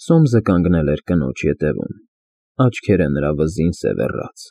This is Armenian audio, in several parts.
Սոմսը կանգնել էր կնոջ ետևում, աչքերը նրա վզին սևեռած։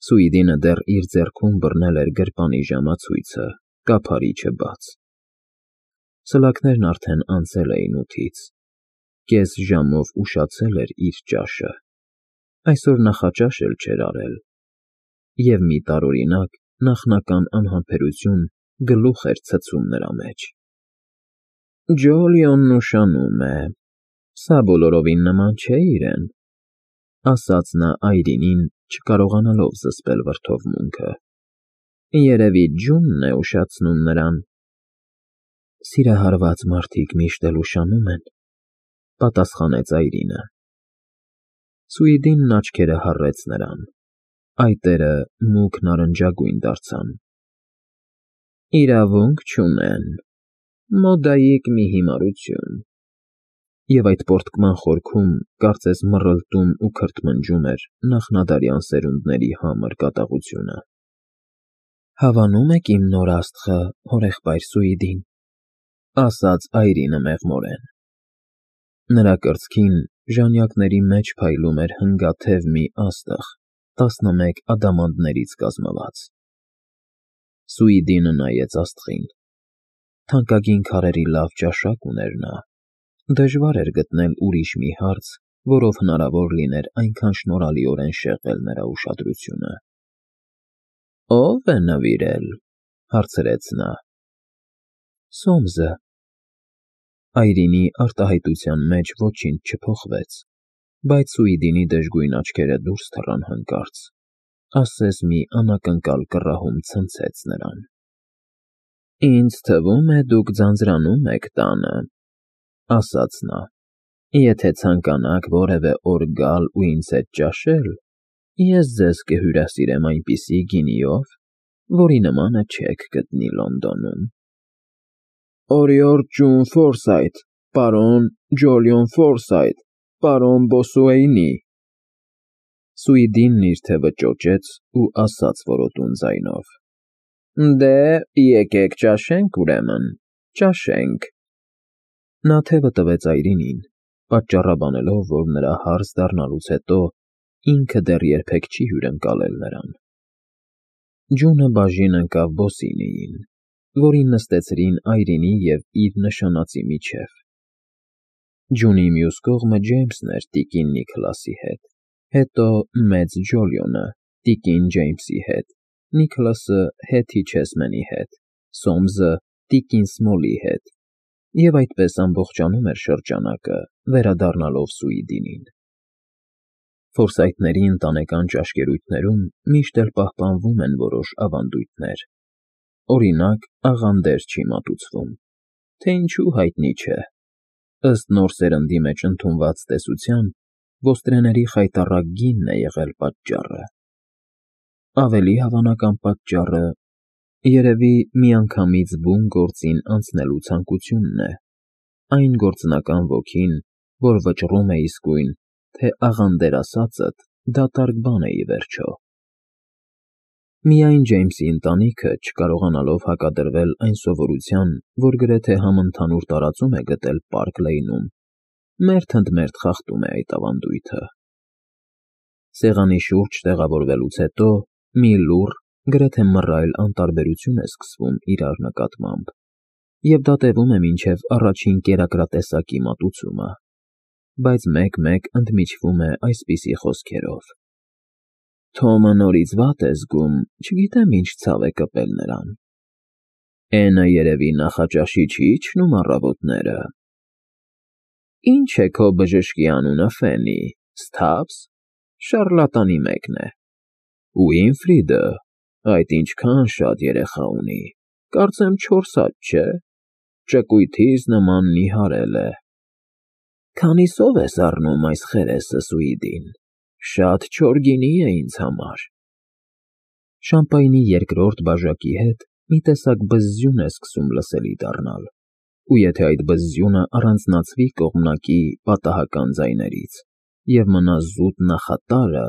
Սուիդինը դեռ իր ձեռքում բռնել էր գրպանի ժամացույցը, կափարիչը բաց։ Սլաքներն արդեն անցել էին 8-ից, կես ժամով ուշացել էր իր ճաշը, այսօր նախաճաշ էլ չէր արել, և մի տարօրինակ, նախնական անհամբերություն գլուխ էր ցցում նրա մեջ։ «Ջոլիոնն ուշանում է, սա բոլորովին նման չէ իրեն», ասաց նա Այրինին, չկարողանալով զսպել վրդովմունքը։ «Երևի ջունն է ուշացնում նրան»։ «Սիրահարված մարդիկ միշտ էլ ուշանում են», պատասխանեց Այրինը։ Սուիդինն աչքերը հառեց նրան, այտերը մուգ նարնջագույն դարձան։ «Իրավունք չունեն, մոդայիկ մի հիմարություն»։ Եվ այդ պոռթկման խորքում կարծես մռլտում ու քրթմնջում էր նախնադարյան սերունդների համր կատաղությունը։ «Հավանո՞ւմ եք իմ նոր աստղը, հորեղբայր Սուիդին», ասաց Այրինը մեղմորեն։ Նրա կրծքին ժանյակների մեջ փայլում էր հնգաթև մի աստղ, 11 ադամանդներից կազմված։ Սուիդինը նայեց աստղին։ Թանկագին քարերի լավ ճաշակ ուներ նա։ Դժվար էր գտնել ուրիշ մի հարց, որով հնարավոր լիներ այնքան շնորհալիորեն շեղել նրա ուշադրությունը։ «Ո՞վ է նվիրել», հարցրեց նա։ «Սոմսը»։ Այրինի արտահայտության մեջ ոչինչ չփոխվեց, բայց Սուիդինի դժգույն աչքերը դուրս թռան հանկարծ, ասես մի անակնկալ կռահում ցնցեց նրան։ «Ինձ թվում է, դուք ձանձրանում եք տանը», ասաց նա։ «Եթե ցանկանաք որևէ օր գալ ու ինձ հետ ճաշել, ես ձեզ կհյուրասիրեմ այնպիսի գինիով, որի նմանը չեք գտնի Լոնդոնում»։ «Օրիորդ ջուն Ֆորսայթ, պարոն Ջոլիոն Ֆորսայթ, պարոն Բոսուեյնի»։ Սուիդինն իր թևը ճոճեց ու ասաց որոտուն ձայնով. «Դե, եկեք ճաշենք, ուրեմն, ճաշենք»։ Նա թևը տվեց Այրինին, պատճառաբանելով, որ նրա հարզ դառնալուց հետո ինքը դեռ երբեք չի հյուրընկալել նրան։ Ջունը բաժին ընկավ Բոսինիին, որին նստեցրին Այրինի և իր նշանածի միջև։ Ջունի մյուս կողմը Ջեյմսն էր տիկին Նիքլասի հետ, հետո մեծ Ջոլիոնը տիկին Ջեյմսի հետ, Նիքլասը Հեթի Չեսմենի հետ, Սոմսը տիկին Սմոլի հետ, և այդպես ամբողջանում էր շրջանակը, վերադառնալով Սուիդինին։ Ֆորսայթների ընտանեկան ճաշկերույթներում միշտ էլ պահպանվում են որոշ ավանդույթներ։ Օրինակ, աղանդեր չի մատուցվում, թե ինչու հայտնի չէ։ Ըստ նոր սերնդի մեջ ընդունված տեսության, ոստրեների խայտառակ գինն է եղել պատճառը։ Ավելի հավանական պատճառը, երևի, միանգամից բուն գործին անցնելու ցանկությունն է, այն գործնական ոգին, որ վճռում է իսկույն, թե աղանդեր ասածդ դատարկ բան է ի վերջո։ Միայն Ջեյմսի ընտանիքը, չկարողանալով հակադրվել այն սովորության, որ գրեթե համընդհանուր տարածում է գտել Պարկ Լեյնում, մերթ ընդ մերթ խախտում է այդ ավանդույթը։ Սեղանի շուրջ տեղավորվելուց հետո մի լուռ, գրեթե մռայլ անտարբերություն է սկսվում իրար նկատմամբ, և դա տևում է մինչև առաջին կերակրատեսակի մատուցումը, բայց մեկ-մեկ ընդմիջվում է այսպիսի խոսքերով. «Թոմը նորից վատ է զգում, չգիտեմ ինչ ցավ է կպել նրան։ Էնը երևի նախաճաշի չի իջնում առավոտները։ Ինչ է քո բժշկի անունը, Ֆենի, Սթափս, շառլատանի մեկն է։ Ուինֆրիդը, այդ ինչքան շատ երեխա ունի, կարծեմ 4 հատ, չէ, ճկույթից նման նիհարել է։ Քանիսով ես առնում այս խերեսը, Սուիդին, շատ չոր գինի է ինձ համար»։ Շամպայնի երկրորդ բաժակի հետ մի տեսակ բզզյուն է սկսում լսելի դառնալ, ու եթե այդ բզզյունը առանձնացվի կողմնակի պատահական ձայներից և մնա զուտ նախատարը,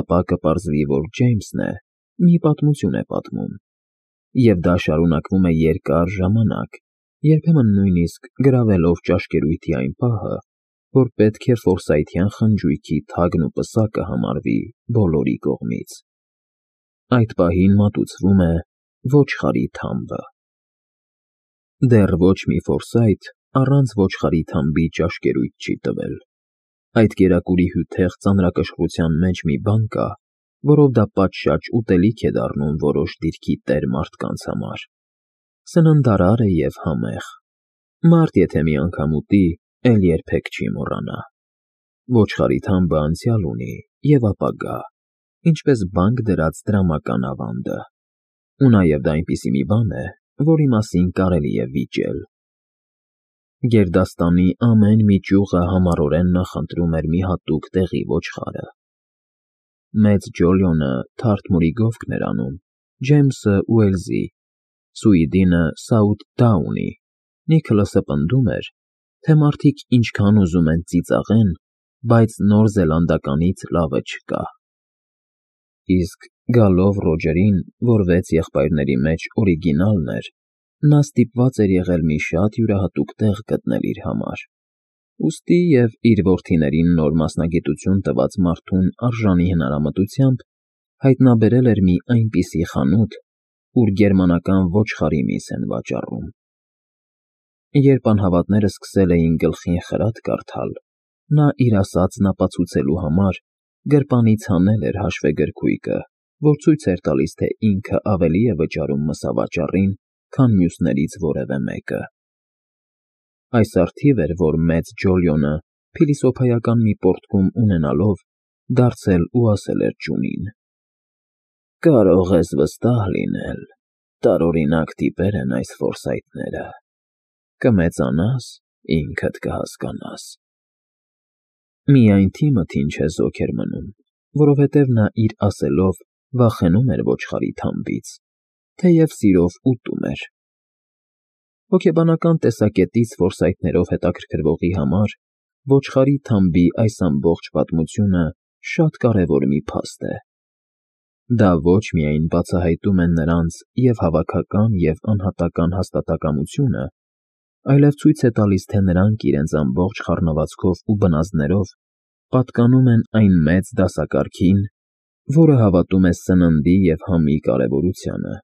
ապա կպարզվի, որ Ջեյմսն է, մի պատմություն է պատմում, և դա շարունակվում է երկար ժամանակ, երբեմն նույնիսկ գրավելով ճաշկերույթի այն պահը, որ պետք է Ֆորսայթյան խնջույքի թագն ու պսակը համարվի բոլորի կողմից։ Այդ պահին մատուցվում է ոչխարի թամբը։ Դեռ ոչ մի Ֆորսայթ առանց ոչխարի թամբի ճաշկերույթ չի տվել։ Այդ կերակուրի հյութեղ ծանրակշռության մեջ մի բան կա, որով դա պատշաճ ուտելիք է դառնում որոշ դիրքի տեր մարդկանց համար։ Սննդարար է և համեղ։ Մարդ եթե մի անգամ ուտի, էլ երբեք չի մոռանա։ Ոչխարի թամբը անցյալ ունի և ապագա, ինչպես բանկ դրած դրամական ավանդը։ Ու նաև դա այնպիսի մի բան է, որի մասին կարելի է վիճել։ Գերդաստանի ամեն մի ճյուղը համառորեն նախընտրում էր մի հատուկ տեղի ոչխարը։ Մեծ Ջոլիոնը Թարթմուրի գովքն էր անում, Ջեյմսը Ուելսի, Սուիդինը Սաութ֊Դաունի, Նիքոլասը պնդում էր, թե մարդիկ ինչքան ուզում են ծիծաղեն, բայց Նոր Զելանդականից լավը չկա։ Իսկ գալով Ռոջերին, որ 6 եղբայրների մեջ օրիգինալն էր, նա ստիպված էր եղել մի շատ յուրահատուկ տեղ գտնել իր համար։ Ուստի և իր որդիներին նոր մասնագիտություն տված մարդուն արժանի հնարամտությամբ հայտնաբերել էր մի այնպիսի խանութ, ուր գերմանական ոչխարի միս են վաճառում։ Երբ անհավատները սկսել էին գլխին խրատ կարդալ, նա իր ասածն ապացուցելու համար գրպանից հանել էր հաշվեգրքույկը, որ ցույց էր տալիս, թե ինքը ավելի է վճարում մսավաճառին, քան մյուսներից որևէ մեկը։ Այս առթիվ էր, որ մեծ Ջոլիոնը, փիլիսոփայական մի պոռթկում ունենալով, դարձել ու ասել էր ճունին. «Կարող ես վստահ լինել, տարօրինակ տիպեր են այս Ֆորսայթները։ Կմեծանաս, ինքդ կհասկանաս»։ Միայն Թիմոթին չեզոք էր մնում, որովհետև նա իր ասելով վախենում էր ոչխարի թամբից, թեև սիրով ուտում էր։ Հոգեբանական տեսակետից Ֆորսայթներով հետաքրքրվողի համար ոչխարի թամբի այս ամբողջ պատմությունը շատ կարևոր մի փաստ է։ Դա ոչ միայն բացահայտում է նրանց և հավաքական և անհատական հաստատակամությունը, այլև ցույց է տալիս, թե նրանք իրենց ամբողջ խառնվածքով ու բնազդներով պատկանում են այն մեծ դասակարգին, որը հավատում է սննդի և համի կարևորությանը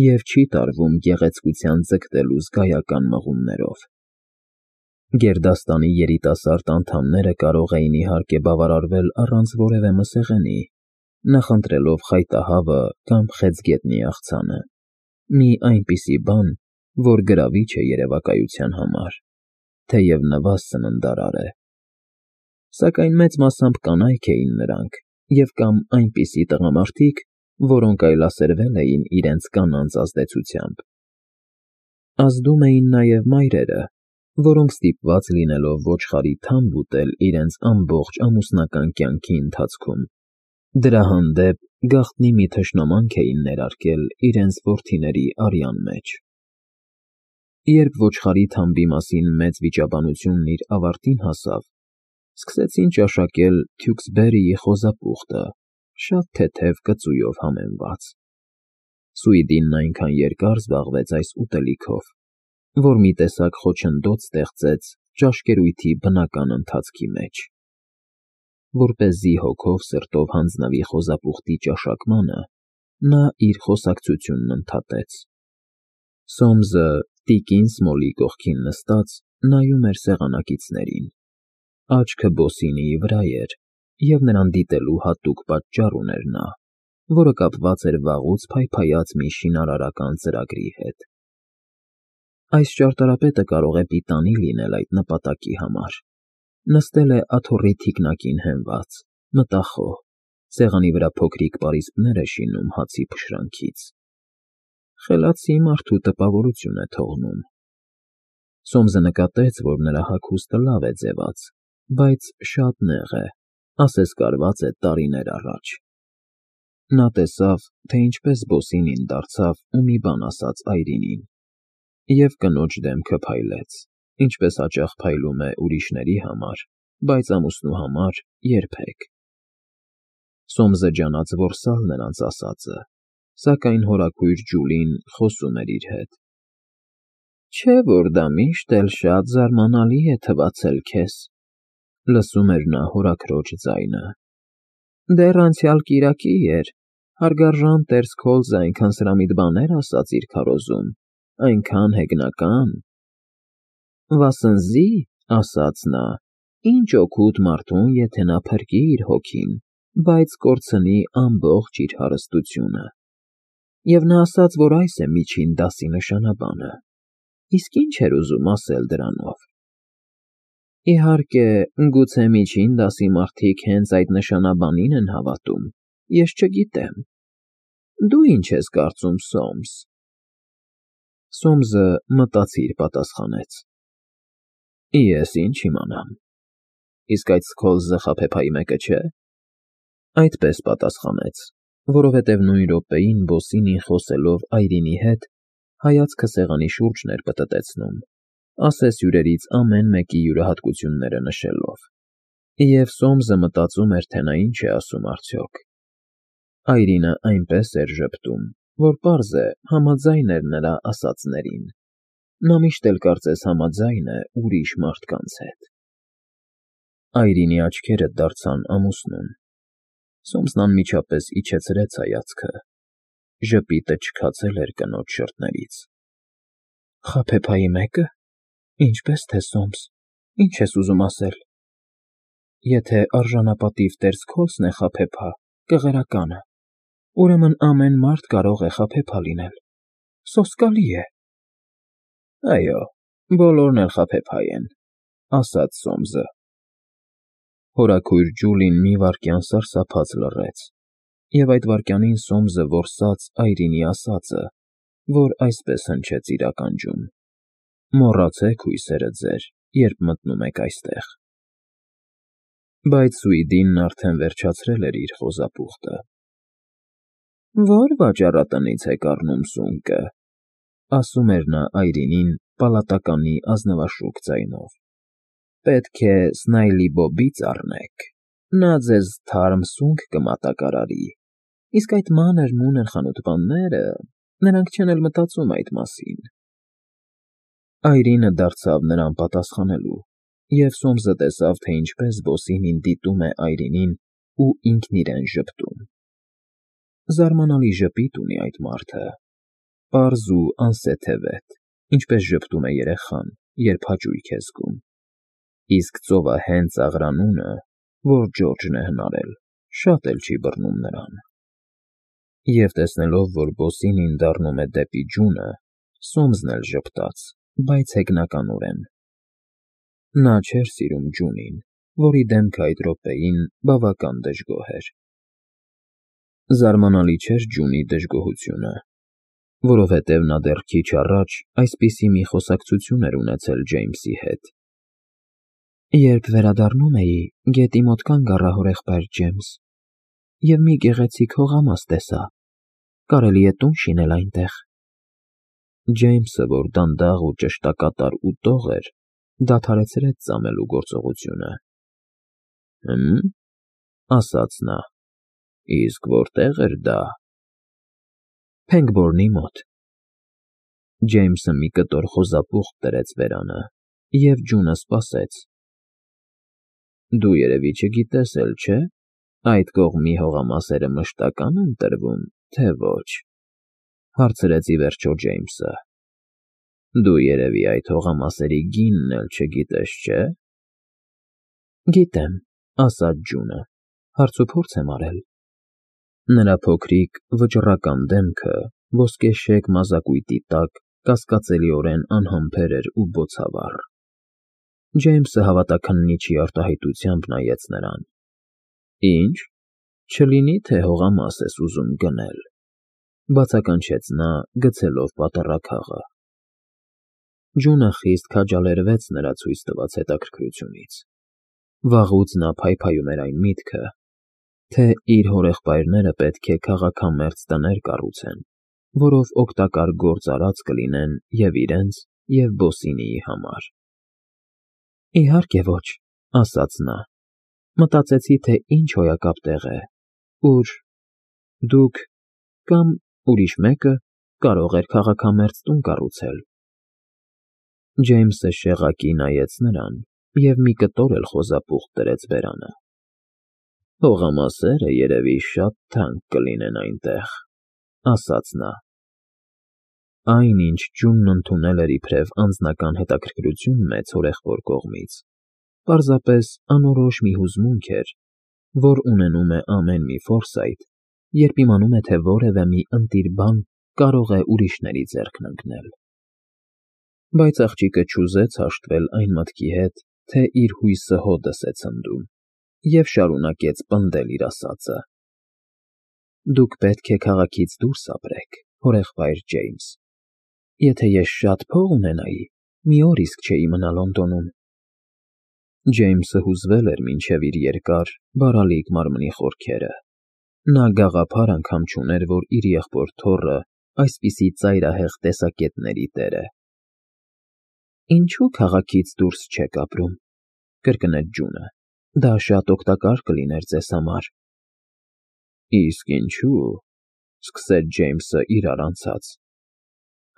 և չի տարվում գեղեցկության ձգտելու զգայական մղումներով։ Գերդաստանի երիտասարդ անդամները կարող էին իհարկե բավարարվել առանց որևէ մսեղենի, նախընտրելով խայտահավը կամ խեցգետնի աղցանը, մի այնպիսի բան, որ գրավիչ է երևակայության համար, թեև նվազ սննդարար է։ Սակայն մեծ մասամբ կանայք էին նրանք և կամ այնպիսի տղամարդիկ, որոնք այլասերվել էին իրենց կանանց ազդեցությամբ։ Ազդում էին նաև մայրերը, որոնք ստիպված լինելով ոչխարի թամբ ուտել իրենց ամբողջ ամուսնական կյանքի ընթացքում, դրա հանդեպ գաղտնի մի թշնամանք էին ներարկել իրենց որդիների արյան մեջ։ Երբ ոչխարի թամբի մասին մեծ վիճաբանությունն իր ավարտին հասավ, սկսեցին ճաշակել Թյուքսբերիի խոզապուխտը, շատ թեթև կծույով համեմված։ Սուիդինն այնքան երկար զբաղվեց այս ուտելիքով, որ մի տեսակ խոչընդոտ ստեղծեց ճաշկերույթի բնական ընթացքի մեջ։ Որպեսզի հոգով սրտով հանձնվի խոզապուխտի ճաշակմանը, նա իր խոսակցությունն ընդհատեց։ Սոմսը տիկին Սմոլի կողքին նստած նայում էր սեղանակիցներին։ Աչքը Բոսինիի վրա էր, և նրան դիտելու հատուկ պատճառ ուներ նա, որը կապված էր վաղուց փայփայած մի շինարարական ծրագրի հետ։ Այս ճարտարապետը կարող է պիտանի լինել այդ նպատակի համար։ Նստել է աթոռի թիկնակին հենված, մտախոհ, սեղանի վրա փոքրիկ պարիսպներ է շինում հացի փշրանքից։ Խելացի մարդու տպավորություն է թողնում։ Սոմսը նկատեց, որ նրա հագուստը լավ է ձևած, բայց շատ նեղ է, ասես կարված է տարիներ առաջ։ Նա տեսավ, թե ինչպես Բոսինին դարձավ ու մի բան ասաց այրինին, և կնոջ դեմքը փայլեց, ինչպես հաճախ փայլում է ուրիշների համար, բայց ամուսնու համար երբեք։ Սոմսը ջանաց որսալ նրանց ասածը, սակայն հորաքույր Ջուլին խոսում էր իր հետ. Չէ՞ որ դա միշտ էլ շատ զարմանալի է թվացել քեզ։ Լսում էր նա հորաքրոջ ձայնը։ Դեռ անցյալ կիրակի էր, հարգարժան Տեր Սքոլզը այնքան սրամիտ բաներ ասաց իր քարոզում, այնքան հեգնական։ Վասնզի, ասաց նա, ինչ օգուտ մարդուն, եթե նա փրկի իր հոգին, բայց կորցնի ամբողջ իր հարստությունը։ Եվ նա ասաց, որ այս է միջին դասի նշանաբանը։ Իսկ ինչ էր ուզում ասել դրանով։ Իհարկե, գուցե միջին դասի մարդիկ հենց այդ նշանաբանին են հավատում, ես չգիտեմ։ Դու ինչ ես կարծում, Սոմս։ Սոմսը մտածիր պատասխանեց. Ես ինչ իմանամ։ Իսկ այդ Սքոլզը խաբեբայի մեկը չէ։ Այդպես պատասխանեց, որովհետև նույն րոպեին Բոսինին խոսելով Այրինի հետ հայացքը սեղանի շուրջն էր պտտեցնում, ասես հյուրերից ամեն մեկի յուրահատկությունները նշելով։ Եվ Սոմսը մտածում էր, թե նա ինչ է ասում արդյոք։ Այրինը այնպես էր ժպտում, որ պարզ է համաձայն էր նրա ասածներին։ Նա միշտ էլ կարծես համաձայն է ուրիշ մարդկանց հետ։ Այրինի աչքերը դարձան ամուսնուն։ Սոմսն անմիջապես իջեցրեց հայացքը։ Ժպիտը չքացել էր կնոջ շրթներից։ Խաբեբայի մեկը։ Ինչպես թե Սոմս, ինչ ես ուզում ասել։ Եթե արժանապատիվ Տեր Սքոլզն է խաբեբա, կղերականը, ուրեմն ամեն մարդ կարող է խաբեբա լինել։ Սոսկալի է։ Այո, բոլորն էլ խաբեբա են, ասաց Սոմսը։ Հորաքույր Ջուլին մի վայրկյան սարսափած լռեց, և այդ վայրկյանին Սոմսը որսաց Այրինի ասածը, որ այսպես հնչեց իր ականջում. Մոռացեք հույսերը ձեր, երբ մտնում եք այստեղ։ Բայց Սուիդինն արդեն վերջացրել էր իր խոզապուխտը։ Ո՞ր վաճառատնից եք առնում սունկը, ասում էր նա Այրինին պալատականի ազնվաշուք ձայնով։ Պետք է Սնայլի Բոբից առնեք, նա ձեզ թարմ սունկ կմատակարարի, իսկ այդ մանր-մունր խանութպանները, նրանք չեն էլ մտածում այդ մասին։ Այրինը դարձավ նրան պատասխանելու, և Սոմսը տեսավ, թե ինչպես Բոսինին դիտում է Այրինին ու ինքն իրեն ժպտում։ Զարմանալի ժպիտ ունի այդ մարդը, պարզ ու անսեթևետ, ինչպես ժպտում է երեխան, երբ հաճույք է զգում։ Իսկ ծովահենց աղրանունը, որ Ջորջն է հնարել, շատ էլ չի բռնում նրան։ Եվ տեսնելով, որ Բոսինին դառնում է դեպի ջունը, Սոմսն էլ ժպտաց, բայց հեգնականորեն։ Նա չէր սիրում ջունին, որի դեմքը այդ րոպեին բավական դժգոհ էր։ Զարմանալի չէր ջունի դժգոհությունը, որովհետև նա դեռ քիչ առաջ այսպիսի մի խոսակցություն էր ունեցել Ջեյմսի հետ։ Երբ վերադառնում էի, գետի մոտ կանգ առա հորեղբայր Ջեյմս, և մի գեղեցիկ հողամաս տեսա, կարելի է տուն շինել այնտեղ։ Ջեյմսը, որ դանդաղ ու ճշտակատար ուտող էր, դադարեցրեց ծամելու գործողությունը։ Ասաց նա, իսկ որտե՞ղ էր դա։ Փենգբորնի մոտ։ Ջեյմսը մի կտոր խոզապուխտ դրեց բերանը, և ջունը սպասեց։ Դու երևի չգիտես էլ, չէ՞, այդ կողմի հողամասերը մշտական են տրվում, թե ոչ, հարցրեց ի վերջո Ջեյմսը։ Դու երևի այդ հողամասերի գինն էլ չգիտես, չէ՞։ Գիտեմ, ասաց ջունը, հարցուփորձ եմ արել։ Նրա փոքրիկ վճռական դեմքը ոսկեշեկ մազակույտի տակ կասկածելիորեն անհամբեր էր ու բոցավառ։ Ջեյմսը հավատաքննիչի արտահայտությամբ նայեց նրան։ Ինչ, չլինի թե հողամաս ես ուզում գնել, բացականչեց նա, գցելով պատառաքաղը։ Ջունը խիստ քաջալերվեց նրա ցույց տված հետաքրքրությունից։ Վաղուց նա փայփայում էր այն միտքը, թե իր հորեղբայրները պետք է քաղաքամերձ տներ կառուցեն, որով օգտակար գործարած կլինեն և իրենց, և Բոսինիի համար։ Իհարկե ոչ, ասաց նա, մտածեցի, թե ինչ հոյակապ տեղ է, ուր դուք կամ ուրիշ մեկը կարող էր քաղաքամերձ տուն կառուցել։ Ջեյմսը շեղակի նայեց նրան, և մի կտոր էլ խոզապուխ դրեց բերանը։ «Հողամասերը երևի շատ թանկ կլինեն այնտեղ», ասաց նա։ Այն, ինչ Ջունն ընդունել էր իբրև անձնական հետաքրքրություն մեծ հորեղբոր կողմից, պարզապես անորոշ մի հուզմունք էր, որ ունենում է ամեն մի Ֆորսայթ, երբ իմանում է, թե որևէ մի ընտիր բան կարող է ուրիշների ձեռքն ընկնել։ Բայց աղջիկը չուզեց հաշտվել այն մտքի հետ, թե իր հույսը հօդս է ցնդում, և շարունակեց պնդել իր ասածը. «Դուք պետք է քաղաքից դուրս ապրեք, հորեղբայր Ջեյմս։ Եթե ես շատ փող ունենայի, մի օր իսկ չէի մնա Լոնդոնում»։ Ջեյմսը հուզվել էր մինչև իր երկար, բարալիկ մարմնի խորքերը։ Նա գաղափար անգամ չուներ, որ իր եղբոր թոռը այսպիսի ծայրահեղ տեսակետների տեր է։ «Ինչո՞ւ քաղաքից դուրս չեք ապրում», կրկնեց Ջունը։ «Դա շատ օգտակար կլիներ ձեզ համար»։ «Իսկ ինչու՞», սկսեց Ջեյմսը իրար անցած։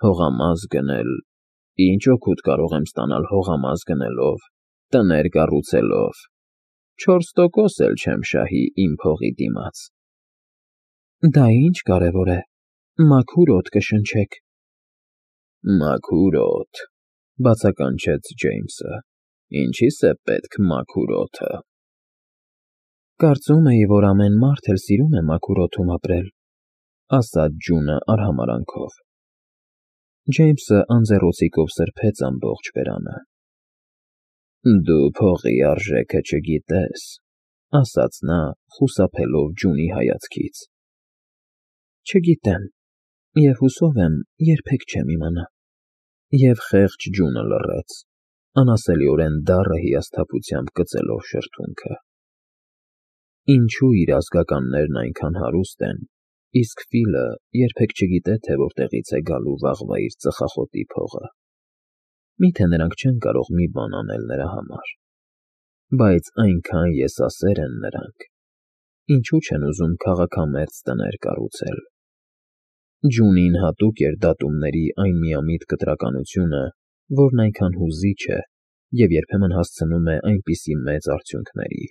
«Հողամաս գնել… Ինչ օգուտ կարող եմ ստանալ հողամաս գնելով, տներ կառուցելով… 4% էլ չեմ շահի իմ փողի դիմաց»։ «Դա ինչ կարևոր է, մաքուր օդ կշնչեք»։ «Մաքուր օդ», բացականչեց Ջեյմսը։ «Ինչի՞ս է պետք մաքուր օդը»։ «Կարծում էի, որ ամեն մարդ էլ սիրում է մաքուր օդում ապրել», ասաց Ջունը արհամարհանքով։ Ջեյմսը անձեռոցիկով սրբեց ամբողջ բերանը։ «Դու փողի արժեքը չգիտես», ասաց նա, խուսափելով Ջունի հայացքից։ «Չգիտեմ, և հուսով եմ, երբեք չեմ իմանա»։ Եվ խեղճ Ջունը լռեց, անասելիորեն դառը հիասթափությամբ կծելով շրթունքը։ Ինչու իր ազգականներն այնքան հարուստ են, իսկ Ֆիլը երբեք չգիտե, թե որտեղից է գալու վաղվա իր ծխախոտի փողը։ Մի՞թե նրանք չեն կարող մի բան անել նրա համար։ Բայց այնքան եսասեր են նրանք, ինչու չեն ուզում քաղաքամերձ տներ կառուցել։ Ջունին հատուկ էր դատումների այն միամիտ կտրականությունը, որն այնքան հուզիչ է և երբեմն հասցնում է այնպիսի մեծ արդյունքների։